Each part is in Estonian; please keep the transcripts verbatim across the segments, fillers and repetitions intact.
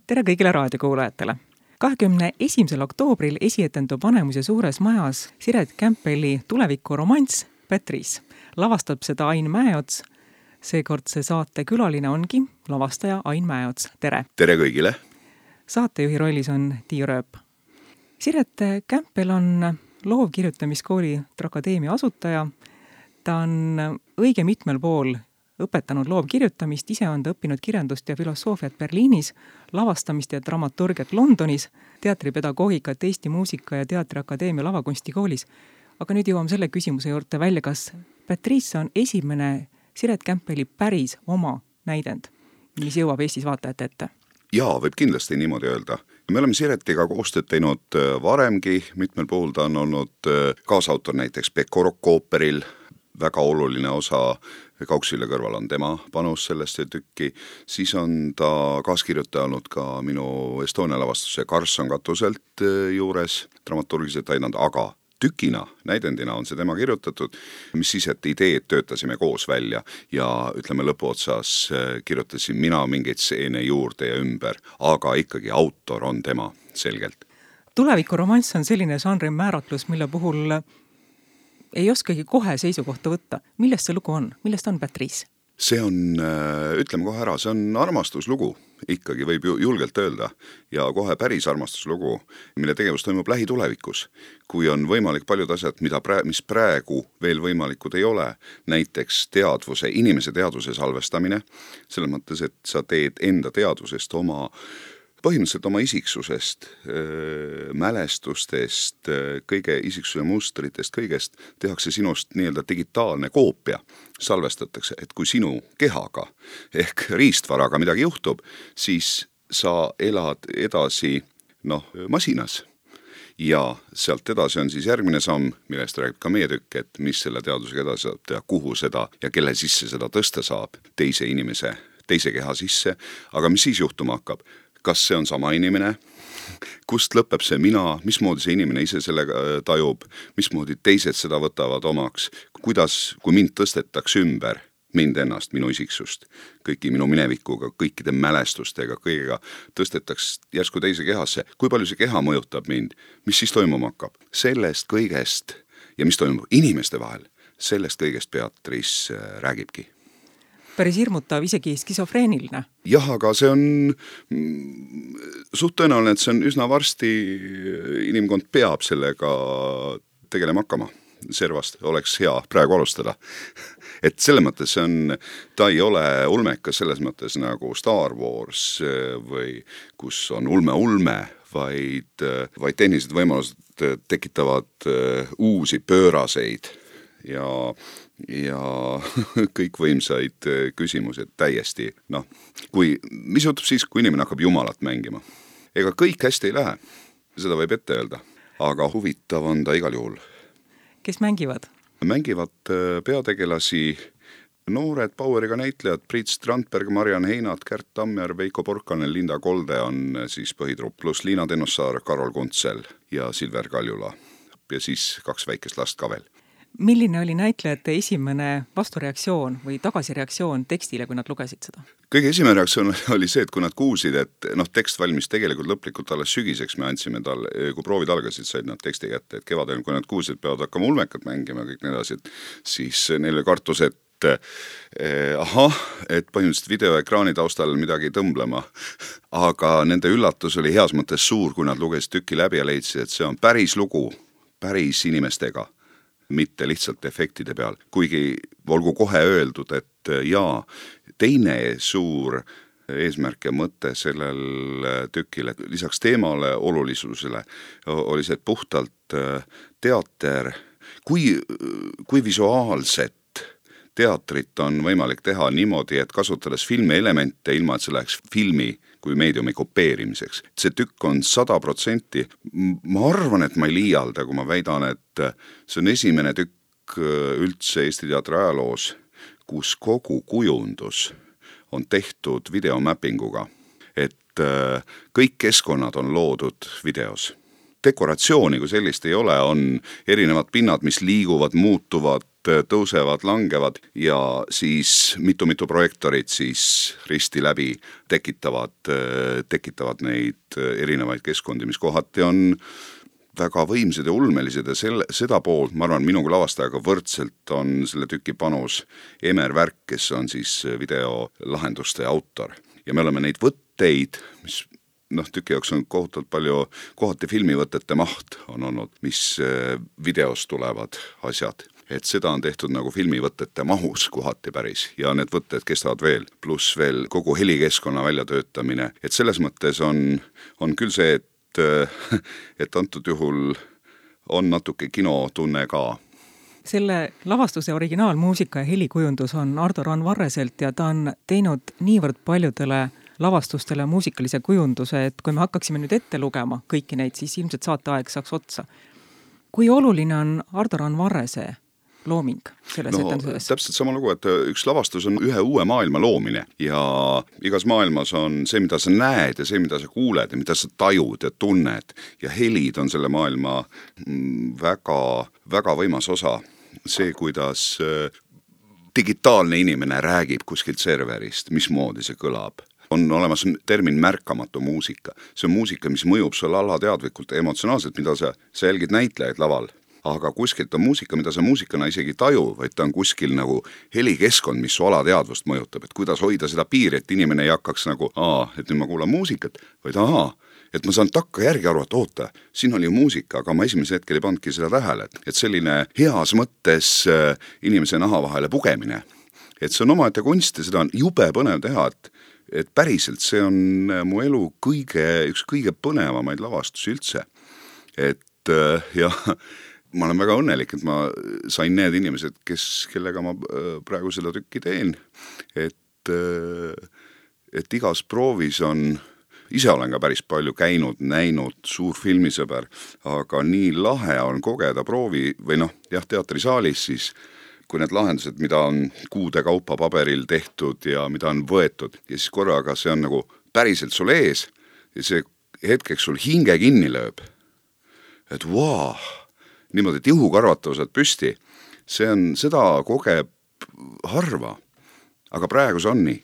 Tere kõigile raadiokuulajatele! kahekümne esimesel oktoobril esietendub Vanemuise suures majas Siret Kämpeli tuleviku romanss Patrice. Lavastab seda Ain Mäeots. Seekordse saate külaline ongi lavastaja Ain Mäeots. Tere! Tere kõigile! Saatejuhi rollis on Tiiu Rööp. Siret Kämpel on loovkirjutamiskooli Trakadeemia asutaja. Ta on õige mitmel pool õpetanud loovkirjutamist, ise on ta õppinud kirjandust ja filosoofiat Berliinis, lavastamist ja dramaturgiat Londonis, teatripedagoogikat Eesti Muusika- ja Teatriakadeemia lavakunstikoolis. Aga nüüd jõuame selle küsimuse juurde välja, kas Patrice on esimene Siret Kämpeli päris oma näidend, mis jõuab Eestis vaatajate ette? Jaa, võib kindlasti niimoodi öelda. Me oleme Siretiga koostööd teinud varemgi, mitmel puhul ta on olnud kaasautor näiteks Pekko Rokk-ooperil, väga oluline osa Kauksville kõrval on tema panus sellest tükki, siis on ta kaaskirjutanud ka minu Estonia lavastuse Karlsson katuselt juures, dramaturgiliselt aidanud, aga tükina, näidendina on see tema kirjutatud, mis siis, et ideed töötasime koos välja ja ütleme lõpuotsas kirjutasin mina mingeid stseene juurde ja ümber, aga ikkagi autor on tema selgelt. Tulevikuromanss on selline žanri määratlus, mille puhul ei oskagi kohe seisukohta võtta. Millest see lugu on? Millest on Patrice? See on, ütleme kohe ära, see on armastuslugu, ikkagi võib ju julgelt öelda, ja kohe päris armastuslugu, mille tegevus toimub lähitulevikus, kui on võimalik paljud asjad, mida prä- mis praegu veel võimalikud ei ole, näiteks teadvuse, inimese teadvuse salvestamine, selles mõttes, et sa teed enda teadvusest oma põhimõtteliselt oma isiksusest, mälestustest, kõige isiksuse mustritest, kõigest tehakse sinust nii-öelda digitaalne koopia, salvestatakse, et kui sinu kehaga ehk riistvaraga midagi juhtub, siis sa elad edasi noh, masinas. Ja sealt edasi on siis järgmine samm, millest räägib ka meie tükk, et mis selle teadusega edasi saab teha, kuhu seda ja kelle sisse seda tõsta saab, teise inimese, teise keha sisse, aga mis siis juhtuma hakkab? Kas see on sama inimene, kust lõpeb see mina, mismoodi see inimene ise sellega tajub, mismoodi teised seda võtavad omaks, kuidas, kui mind tõstetakse ümber, mind ennast, minu isiksust, kõiki minu minevikuga, kõikide mälestustega, kõigega tõstetaks järsku teise kehasse, kui palju see keha mõjutab mind, mis siis toimuma hakkab. Sellest kõigest ja mis toimub inimeste vahel, sellest kõigest Patrice räägibki. Päris hirmutav, isegi skisofreeniline. Jah, aga see on suht tõenäoline, et see on üsna varsti inimkond peab sellega tegelema hakkama. Servast oleks hea praegu alustada. Et selles mõttes see on, ta ei ole ulmekas selles mõttes nagu Star Wars või kus on ulme-ulme, vaid, vaid tehnilised võimalused tekitavad uusi pööraseid ja ja kõikvõimsaid küsimused täiesti, noh, kui, mis juhtub siis, kui inimene hakkab jumalat mängima? Ega kõik hästi ei lähe, seda võib ette öelda, aga huvitav on ta igal juhul. Kes mängivad? Mängivad peategelasi noored Poweriga näitlejad, Priit Strandberg, Mariann Heinat, Kärt Tammer, Veiko Porkanen, Linda Kolde on siis põhitrupp, plus Liina Tennossaar, Karol Kuntsel ja Silver Kaljula ja siis kaks väikest last ka veel. Milline oli näitlejate esimene vastureaktsioon või tagasireaktsioon tekstile, kui nad lugesid seda? Kõige esimene reaktsioon oli see, et kui nad kuulsid, et noh, tekst valmis tegelikult lõplikult alles sügiseks, me andsime talle, kui proovid algasid, said nad teksti kätte, et kevadel, kui nad kuulsid, et peavad hakkama ulmekat mängima kõik need asjad, siis neile kartus, et eh, ahah, et põhimõtteliselt videoekraani taustal midagi tõmblema, aga nende üllatus oli heas mõttes suur, kui nad lugesid tükki läbi ja leidsid, et see on päris lugu, päris inimestega, mitte lihtsalt efektide peal, kuigi olgu kohe öeldud, et jaa, teine suur eesmärk ja mõte sellel tükil, et lisaks teemale olulisusele oli see, et puhtalt teater, kui, kui visuaalset teatrit on võimalik teha niimoodi, et kasutades filmi elemente ilma, et see läheks filmi kui meediumi kopeerimiseks. See tükk on sada protsenti. Ma arvan, et ma ei liialda, kui ma väidan, et see on esimene tükk üldse Eesti teatri ajaloos, kus kogu kujundus on tehtud videomappinguga. Et kõik keskkonnad on loodud videos. Dekoratsiooni, kui sellist ei ole, on erinevad pinnad, mis liiguvad, muutuvad, tõusevad, langevad ja siis mitu-mitu projektorit siis risti läbi tekitavad, tekitavad neid erinevaid keskkondi, mis kohati on väga võimsad ja ulmelised ja selle, seda poolt, ma arvan, minuga lavastajaga võrdselt on selle tüki panus Emer Värk, kes on siis videolahenduste autor. Ja me oleme neid võtteid, mis noh, tüki jaoks on kohutavalt palju, kohati filmivõtete maht on olnud, mis videos tulevad asjad. Et seda on tehtud nagu filmivõtete mahus kohati päris ja need võtted kestavad veel, pluss veel kogu helikeskkonna väljatöötamine. Et selles mõttes on, on küll see, et et antud juhul on natuke kinotunne ka. Selle lavastuse originaalmuusika ja helikujundus on Ardo Randvarreselt ja ta on teinud niivõrd paljudele lavastustele muusikalise kujunduse, et kui me hakkaksime nüüd ette lugema kõiki neid, siis ilmselt saateaeg saaks otsa. Kui oluline on Ardo Randvarrese looming selles no, etenduses? Täpselt sama lugu, et üks lavastus on ühe uue maailma loomine ja igas maailmas on see, mida sa näed ja see, mida sa kuuled ja mida sa tajud ja tunned ja helid on selle maailma väga, väga võimas osa. See, kuidas digitaalne inimene räägib kuskilt serverist, mismoodi see kõlab. On olemas termin märkamatu muusika. See on muusika, mis mõjub sulle alateadlikult emotsionaalselt, mida sa, sa jälgid näitlejaid laval. Aga kuskilt on muusika, mida sa muusikana isegi taju, vaid ta on kuskil nagu helikeskkond, mis su alateadvust mõjutab, et kuidas hoida seda piiri, et inimene ei hakkaks nagu, aa, et nüüd ma kuulan muusikat, vaid ahaa, et ma saan takka järgi aru, et oota, siin oli muusika, aga ma esimese hetkel ei pandki seda tähele, et selline heas mõttes inimese naha vahele pugemine, et see on omaette kunst ja seda on jube põnev teha, et, et päriselt see on mu elu kõige, üks kõige põnevamaid lavastusi üldse, et jah, ma olen väga õnnelik, et ma sain need inimesed, kes, kellega ma praegu seda tükki teen, et, et igas proovis on, ise olen ka päris palju käinud, näinud, suur filmisõber, aga nii lahe on kogeda proovi või noh, jah, teatrisaalis siis, kui need lahendused, mida on kuude kaupa paberil tehtud ja mida on võetud ja siis korraga see on nagu päriselt sul ees ja see hetkeks sul hinge kinni lööb, et vau, niimoodi, et juhukarvatavused püsti, see on, seda kogeb harva, aga praegu see on nii.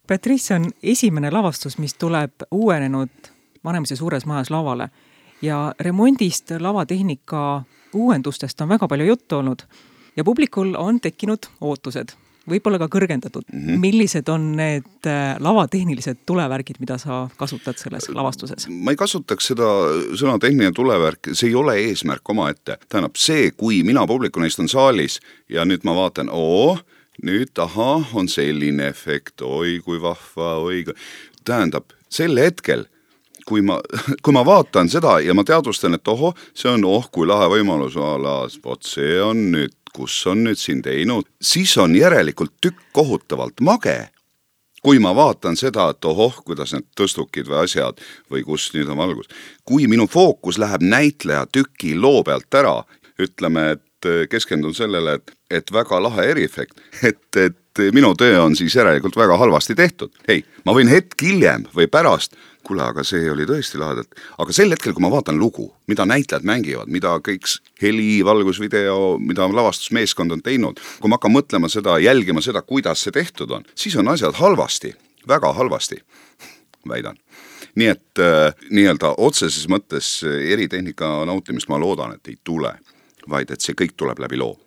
Patrice on esimene lavastus, mis tuleb uuenenud Vanemuise suures majas lavale ja remondist, lavatehnika uuendustest on väga palju juttu olnud ja publikul on tekkinud ootused, võib-olla ka kõrgendatud. Mm-hmm. Millised on need lavatehnilised tulevärgid, mida sa kasutad selles lavastuses? Ma ei kasutaks seda sõna tehniline tulevärk, see ei ole eesmärk oma ette. Tähendab see, kui mina publikuna istun saalis ja nüüd ma vaatan, oo, nüüd aha, on selline efekt, oi kui vahva, oi kui... Tähendab, sel hetkel, kui ma, kui ma vaatan seda ja ma teadvustan, et oho, see on oh, kui lahe võimalus alas, vot see on nüüd kus on nüüd siin teinud, siis on järelikult tükk kohutavalt mage, kui ma vaatan seda, et ohoh, kuidas need tõstukid või asjad või kus nüüd on valgus. Kui minu fookus läheb näitleja tüki loo pealt ära, ütleme, et keskendun sellele, et, et väga lahe eriefekt, et, et minu töö on siis järelikult väga halvasti tehtud. Hei, ma võin hetk hiljem või pärast, kuule, aga see oli tõesti lahedalt. Aga sel hetkel, kui ma vaatan lugu, mida näitlejad mängivad, mida kõik heli, valgusvideo, mida lavastusmeeskond on teinud, kui ma hakkan mõtlema seda, jälgima seda, kuidas see tehtud on, siis on asjad halvasti, väga halvasti, väidan. Nii et äh, nii-öelda otseses mõttes eritehnika nautimist ma loodan, et ei tule, vaid et see kõik tuleb läbi loo.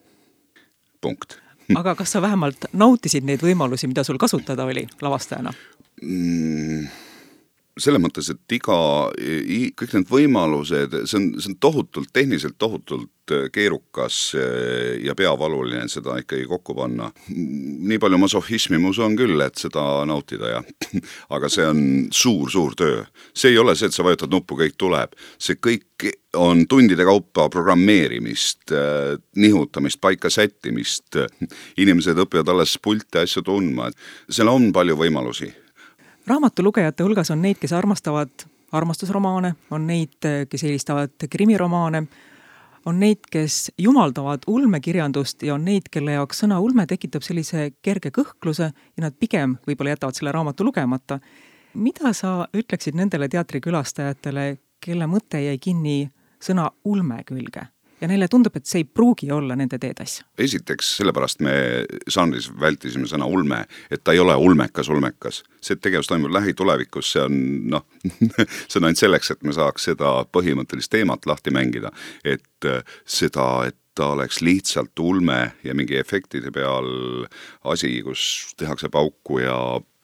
Punkt. Aga kas sa vähemalt nautisid neid võimalusi, mida sul kasutada oli lavastajana? Mm. Selles mõttes, et iga, kõik need võimalused, see on, see on tohutult, tehniliselt tohutult keerukas ja peavaluline seda ikkagi kokku panna. Nii palju masohhismi mu on küll, et seda nautida, ja. Aga see on suur, suur töö. See ei ole see, et sa vajutad nuppu, kõik tuleb. See kõik on tundide kaupa programmeerimist, nihutamist, paika sättimist. Inimesed õpivad alles pulti asju tundma. Seal on palju võimalusi. Raamatulugejate hulgas on neid, kes armastavad armastusromaane, on neid, kes eelistavad krimiromaane, on neid, kes jumaldavad ulmekirjandust ja on neid, kelle jaoks sõna ulme tekitab sellise kerge kõhkluse ja nad pigem võib-olla jätavad selle raamatu lugemata. Mida sa ütleksid nendele teatrikülastajatele, kelle mõte jäi kinni sõna ulme külge? ja neile tundub, et see ei pruugi olla nende teetasja. Esiteks, sellepärast me žanris vältisime sõna ulme, et ta ei ole ulmekas, ulmekas. See tegevus toimub lähitulevikus, see on, noh, see on ainult selleks, et me saaks seda põhimõttelist teemat lahti mängida, et seda, et ta oleks lihtsalt ulme ja mingi efektide peal asi, kus tehakse pauku ja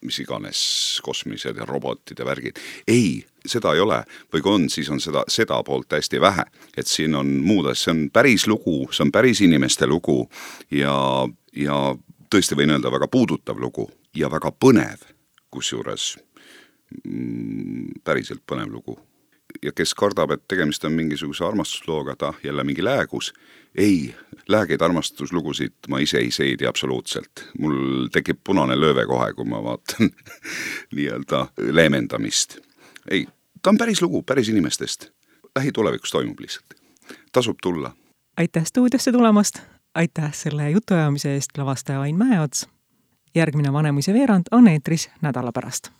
mis iganes kosmilised ja robotid ja värgid. Ei, seda ei ole. Või kui on, siis on seda, seda poolt hästi vähe. Et siin on muud, see on päris lugu, see on päris inimeste lugu ja, ja tõesti võin öelda väga puudutav lugu ja väga põnev, kusjuures mm, päriselt põnev lugu. Ja kes kardab, et tegemist on mingisuguse armastuslooga, ta jälle mingi läägus. Ei, läägeid armastuslugusid ma ise ei seidi absoluutselt. Mul tekib punane lööve kohe, kui ma vaatan nii-öelda leemendamist. Ei, ta on päris lugu, päris inimestest. Lähitulevikus toimub lihtsalt. Tasub tulla. Aitäh stuudiosse tulemast. Aitäh selle jutuajamise eest lavastaja Ain Mäeots. Järgmine Vanemuise veerand on eetris nädala pärast.